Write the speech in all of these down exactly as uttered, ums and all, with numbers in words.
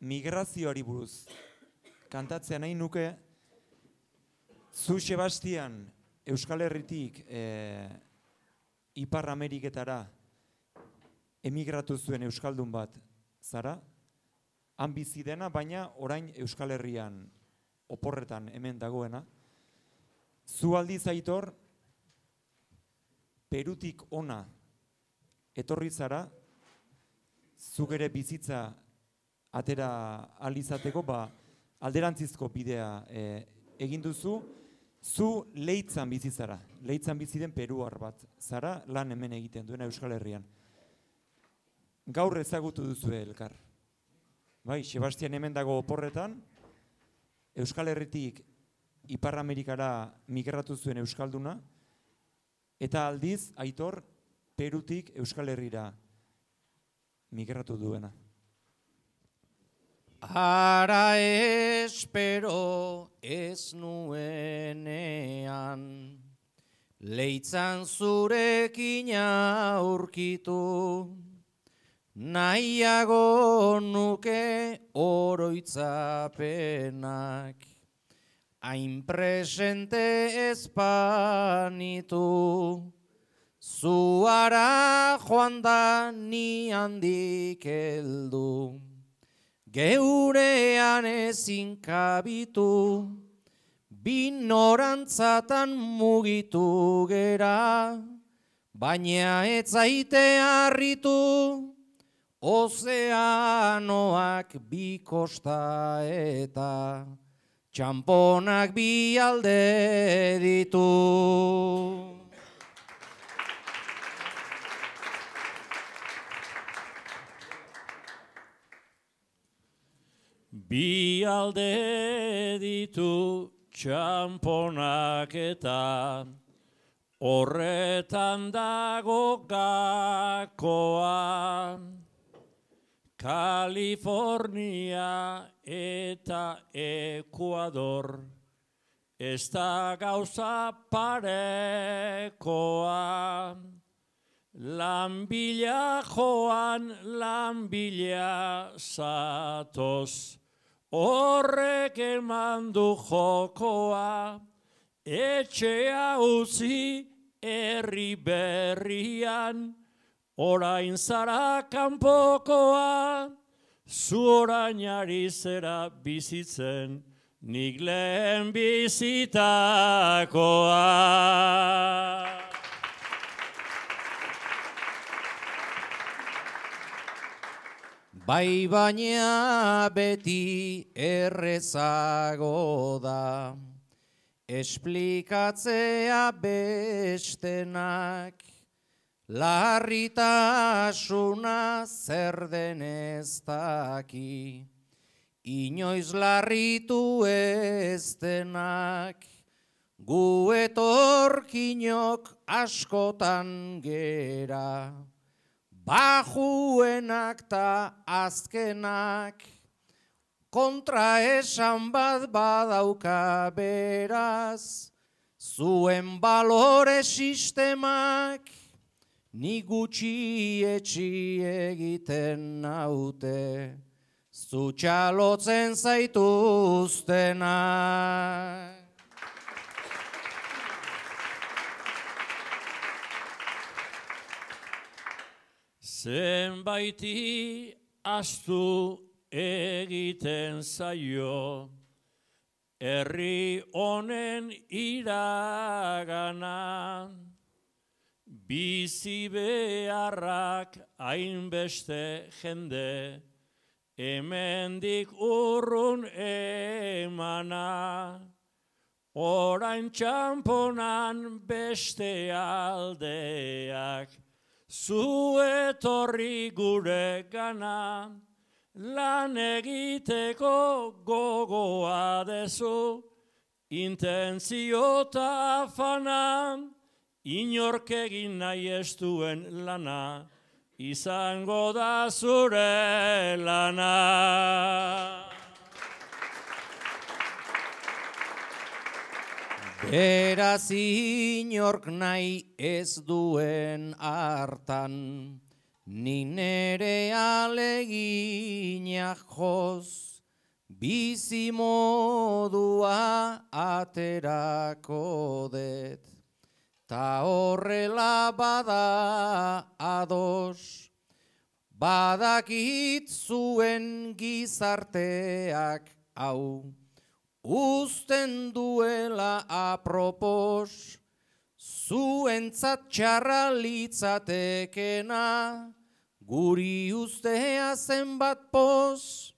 migrazioari buruz kantatzea nahi nuke, zu Sebastian Euskal Herritik e, Ipar Ameriketara emigratu zuen euskaldun bat zara, han bizi dena, baina orain Euskal Herrian oporretan hemen dagoena. Zu aldiz Aitor, Perutik ona etorri zara, zuk ere bizitza atera alizateko, ba, alderantzizko bidea e, egin duzu, zu Leitzan bizi zara, Leitzan bizi den peruar bat zara, lan hemen egiten duena Euskal Herrian. Gaur ezagutu duzu elkar. Bai, Sebastian hemen dago oporretan, Euskal Herritik Ipar Amerikara migratu zuen euskalduna, eta aldiz, Aitor, Perutik Euskal Herrira migratu duena. Ara espero ez nuenean, Leitzan zurekin aurkitu, nahiago nuke oroitzapenak, hain presente espanitu, zuara joan da ni handik heldu, geurean ezin kabitu, binorantzatan mugitu gera, baina ez zaite harritu, ozeanoak bi kosta eta txamponak bi alde ditu. Bi alde ditu txamponak eta horretan dago gakoa. Kalifornia eta Ekuador, ez da gauza parekoa. Lanbila joan, lanbila zatoz, horrek eman du jokoa. Etxea utzi herri berrian, orain zara kanpokoa, zu orain ari zera bizitzen, nik lehen bizitakoa. Bai baina beti errezago da, esplikatzea bestenak, larritasuna zer den ez daki, inoiz larritu ez denak, gu etorkinok askotan gera, bajuenak ta azkenak, kontra esan bat badauka beraz, zuen balore sistemak, ni gutxi etxi egiten naute, zu txalotzen zaituztenak. Zenbaiti astu egiten zaio, herri honen iragana, bizi beharrak hainbeste jende, hemendik urrun emana, orain txamponan beste aldeak, zu etorri gure gana, lan egiteko gogoa dezu, intentzio eta afana, inork egin nahi ez duen lana, izango da zure lana. Beraz inork nahi ez duen hartan, Ni nere aleginak joz, bizi modua aterako det. Ta horrela bada ados, badakit zuen gizarteak hau, uzten duela apropos, zuentzat txarra litzatekena, guri ustea zenbat poz,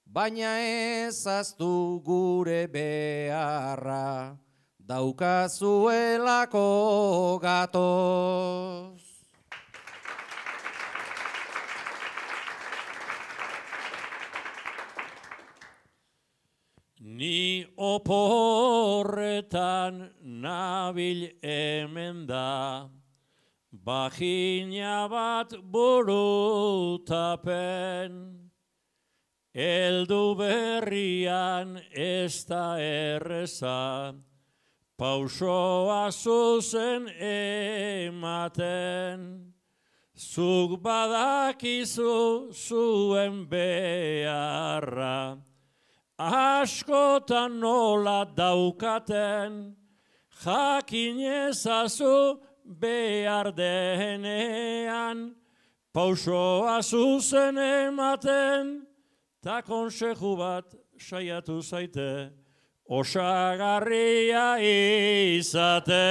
baina ezaztu gure beharra, daukazuelako gatoz. Ni oporretan nabil hemen da, bajina bat burutapen, eldu berrian ez da erreza, pausoa zuzen ematen, zuk badakizu zuen beharra, askotan nola daukaten, jakin ezazu behar denean, pausoa zuzen ematen, ta konseju bat saiatu zaite, osagarria izate.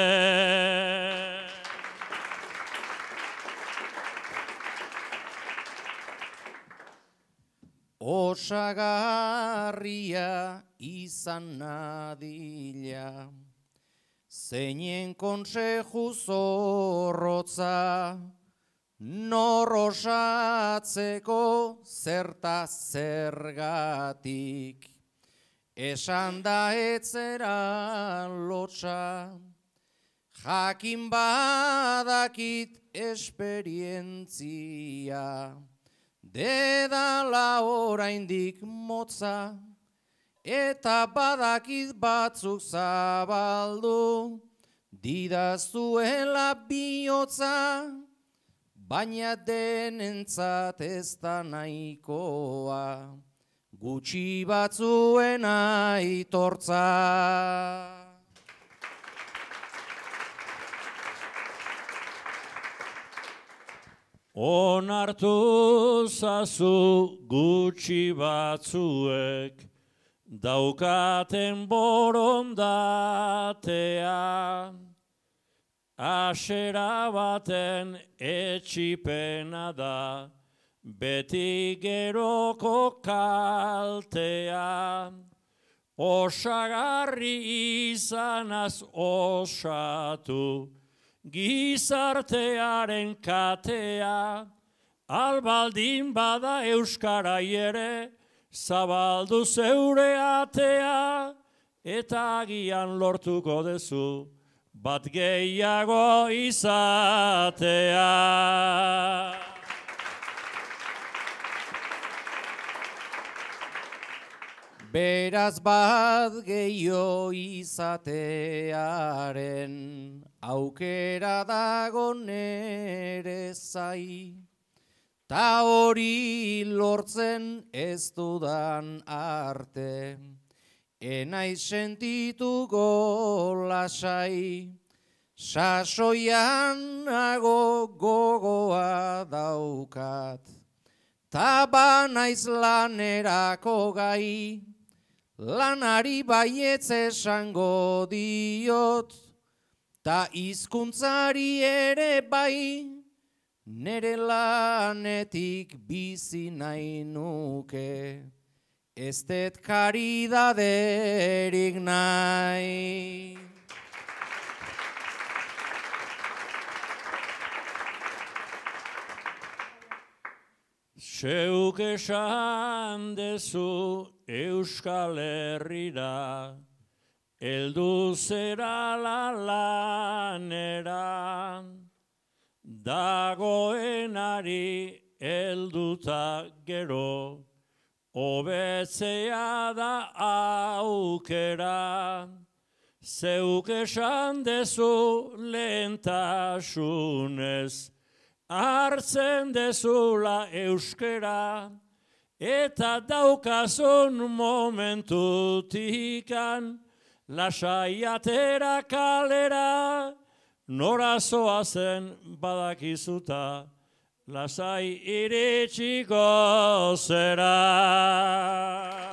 Osagarria izan nadila, zeinen konseju zorrotza, nor osatzeko zerta zergatik, esan da etzera lotxa, jakin badakit esperientzia, dedala oraindik motza, eta badakit batzuk zabaldu, didazuela bihotza, baina denentzat ez da nahikoa, gutxi batzuen aitortza. Onartu zazu gutxi batzuek, daukaten borondatea, asera baten etxipena da, beti geroko kaltea, osagarri izanaz osatu, gizartearen katea, albaldin bada euskarai ere, zabaldu zeure atea, eta agian lortuko dezu, bat gehiago izatea. Beraz bat gehiago izatearen, aukera dago nere zai, ta hori lortzen ez dudan arte, enaiz sentituko lasai, sasoian nago gogoa daukat, ta banaiz lanerako gai, lanari baietz esango diot, ta hizkuntzari ere bai, nere lanetik bizi nahi nuke, ez det karidaderik nahi. Zeuk esan dezu Euskal Herrira, eldu zera la lanera, dagoenari elduta gero, hobetzea da aukera, zeuk esan dezu lehentasunez, hartzen dezula euskera, eta daukazun momentutikan, lasai atera kalera, nora zoazen badakizuta, lasai iritsiko zera.